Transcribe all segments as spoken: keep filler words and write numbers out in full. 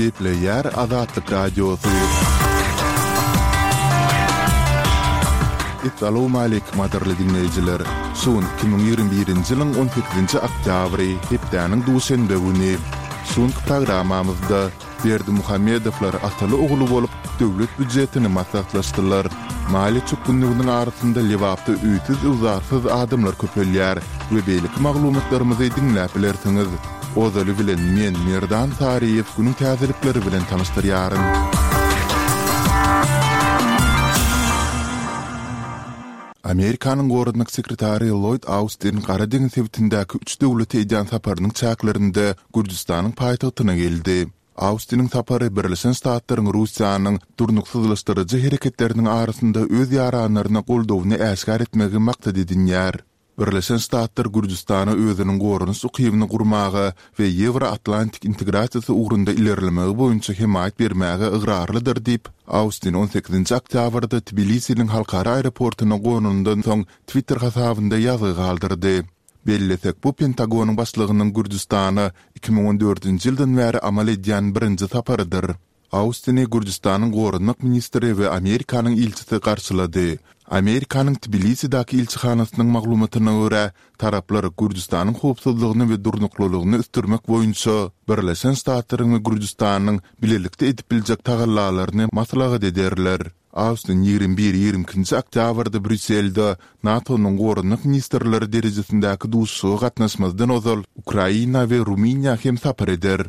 Gepleýär Azatlyk Radiosy. Essalawmaleýkim gadyrly diňleýjiler! Şu gün iki müň ýigrimi birinji ýylyň on sekizinji oktýabry, hepdäniň duşenbe güni. Şu günki programmamyzda Berdimuhamedowlar ataly-ogly bolup, döwlet býujetini maslahatlaşdylar. Maliýe çökgünliginiň arasynda Lebapda öýsüz-öwzarsyz adamlar köpelýär we beýleki maglumatlarymyzy diňläp bilersiňiz. Ozaly bilen men, Merdan Saryýew günüň täzelikleri bilen tanyşdyrýaryn. Amerikanyň Goranmak sekretary Lloýd Austin Gara deňiz sebitindäki üç döwlete edýän saparynyň çäklerinde Gürjüstanyň paýtagtyna geldi. Austiniň sapary Birleşen Ştatlaryň Russiýanyň durnuksyzlaşdyryjy hereketleriniň arasynda öz ýaranlaryna goldawyny äşgär etmegi maksat edinýär. Birleşen Ştatlar Gürjüstana özüniň goranyş ukybyny gurmaga we Ýewro-Atlantik integrasiýasy ugrunda ilerlemegi boýunça hemaýat bermäge ygrarlydyr diýip, Austin on sekizinji oktýabrda Tbilisiniň halkara aeroportuna gonanyndan soň Twitter hasabynda ýazgy galdyrdy. Bellesek, bu Pentagonyň başlygynyň Gürjüstana iki müň on dördünji ýyldan bäri amal edýän birinji saparydyr. Austini Gürjüstanyň goranmak ministri we Amerikanyň ilçisi garşylady. Amerikanyň Tbilisidäki ilçihanasynyň maglumatyna görä, taraplar Gürjüstanyň howpsuzlygyny we durnuklylygyny ösdürmek boýunça Birleşen Ştatlaryň we Gürjüstanyň bilelikde edip biljek tagallalaryny maslahat ederler. Austin ýigrimi bir, ýigrimi ikinji oktýabrda Brýusselde NATO-nyň goranmak ministrleri derejesindäki duşuşyga gatnaşmazdan ozal Ukraina we Rumyniýa hem sapar eder.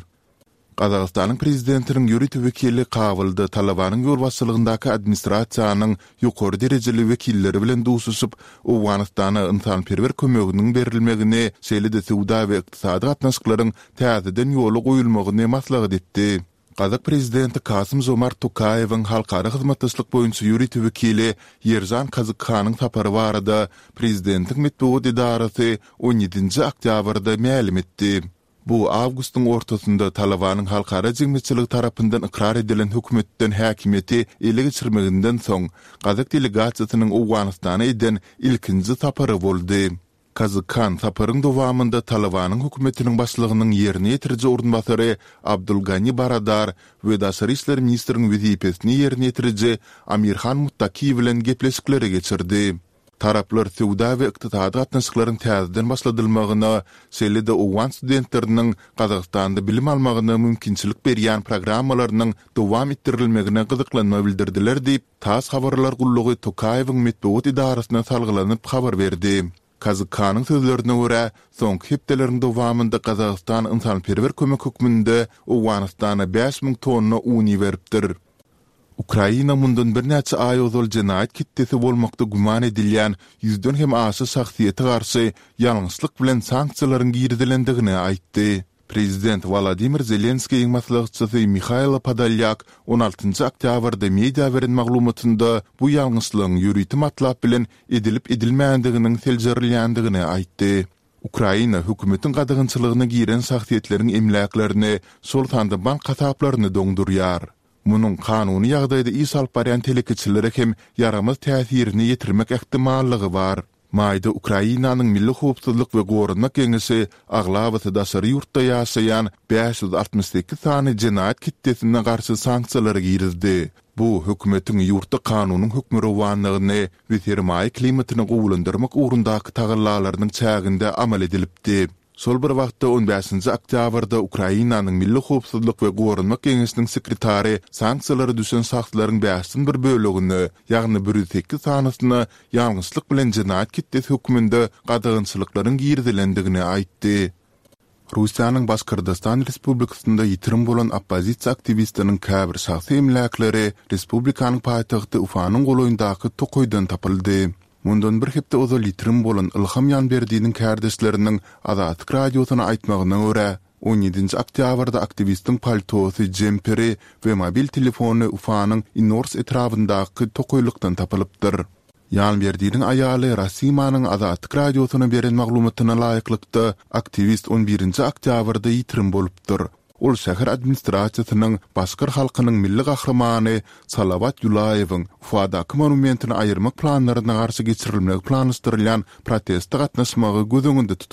Gazagystanyň prezidentiniň ýörite wekili Kabulda Talabanyň ýolbaşçylygyndaky administrasiýanyň ýokary derejeli wekilleri bilen duşuşyp, Owganystana ynsanperwer kömeginiň berilmegini, şeýle-de söwda we ykdysady gatnaşyklaryň täzeden ýola goýulmagyny maslahat etdi. Gazak prezidenti Kasym-Žomart Tokaýewiň halkara hyzmatdaşlyk boýunça ýörite wekili Ýeržan Kazykhanyň sapary barada prezidentiň metbugat edarasy on ýedinji oktýabrda mälim etdi. Bu awgustyň ortasynda Talabanyň halkara jemgyýetçiligi tarapyndan ykrar edilen hökümetden häkimiýeti ele geçirmeginden soň, gazak delegasiýasynyň Owganystana eden ilkinji sapary boldy. Kazyk Han saparyň dowamynda Talabanyň hökümetiniň başlygynyň ýerine ýetiriji orunbasary Abdul Gani Baradar we daşary işler ministriň wezipesini ýerine ýetiriji Amir Han Muttaki bilen gepleşikleri geçirdi. Taraplar söwda we ykdysady gatnaşyklaryň täzeden başladylmagyna, şeýle-de owgan studentleriniň Gazagystanda bilim almagyna mümkinçilik berýän programmalarynyň dowam etdirilmegine gyzyklanma bildirdiler diýip, tass habarlar gullugy Tokaýewiň metbugat edarasyna salgylanyp habar berdi. Kazykhanyň sözlerine görä, soňky hepdeleriň dowamynda Gazagystan ynsanperwer kömek hökmünde Owganystana bäş müň tonna un iberipdir. Ukraina mundan birnäçe aý ozal jenaýat ketdesi bolmakda güman edilýän ýüzden hem aşa şahsyýete garşy ýalňyşlyk bilen sanksiýalaryň girizilendigini aýtdy. Prezident Wolodymyr Zelenskiýiň maslahatçysy Mihailo Podolýak on altynjy oktýabrda media beren maglumatynda bu ýalňyşlygyň ýörite matlap bilen edilip-edilmändiginiň seljerilýändigini aýtdy. Ukraina hökümetiň gadagançylygyna giren şahsyýetleriň emläklerini, şol sanda bank hasaplaryny doňdurýar. Munuň kanuny ýagdaýda iş alyp barýan telekeçilere hem ýaramaz täsirini ýetirmek ähtimallygy bar. Maýda Ukrainanyň Milli howpsuzlyk we goranmak geňeşi aglabasy daşary ýurtda ýaşaýan bäş ýüz altmyş sekiz sany jenaýat ketdesine garşy sanksiýalary girizdi. Bu, hökümetiň ýurtda kanunyň hökmürowanlygyny we sermaýa klimatyny gowulandyrmak ugrundaky tagallalarynyň çäginde amal edilipdi. Şol bir wagtda, on bäşinji oktýabrda Ukrainanyň Milli howpsuzlyk we goranmak geňeşiniň sekretary sanksiýalara düşen şahslaryň bäşden bir bölegine, ýagny bir ýüz sekiz sanysyna ýalňyşlyk bilen jenaýat ketdesi hökmünde gadagançylyklaryň girizilendigini aýtdy. Russiýanyň Başkyrdystan Respublikasynda ýitirim bolan oppozisiýa aktiwistiniň käbir şahsy emläkleri respublikanyň paýtagty Ufanyň golaýyndaky tokaýdan tapyldy. Mundan bir hepde ozal ýitirim bolan Ylham Ýanberdiniň kärdeşleriniň Azatlyk Radiosyna aýtmagyna görä, on ýedinji oktýabrda aktiwistiň paltosy, jemperi we mobil telefony Ufanyň Inors etrabyndaky tokaýlykdan tapylypdyr. Ýanberdiniň aýaly Rasimanyň Azatlyk Radiosyna beren maglumatyna laýyklykda, aktiwist on birinji oktýabrda ýitirim bolupdyr. Ol şäher administrasiýasynyň başkyr halkynyň milli gahrymany Salawat Ýulaýewiň Ufadaky monumentini aýyrmak planlaryna garşy geçirilmegi planlaşdyrylýan proteste gatnaşmagy göz öňünde tutupdyr.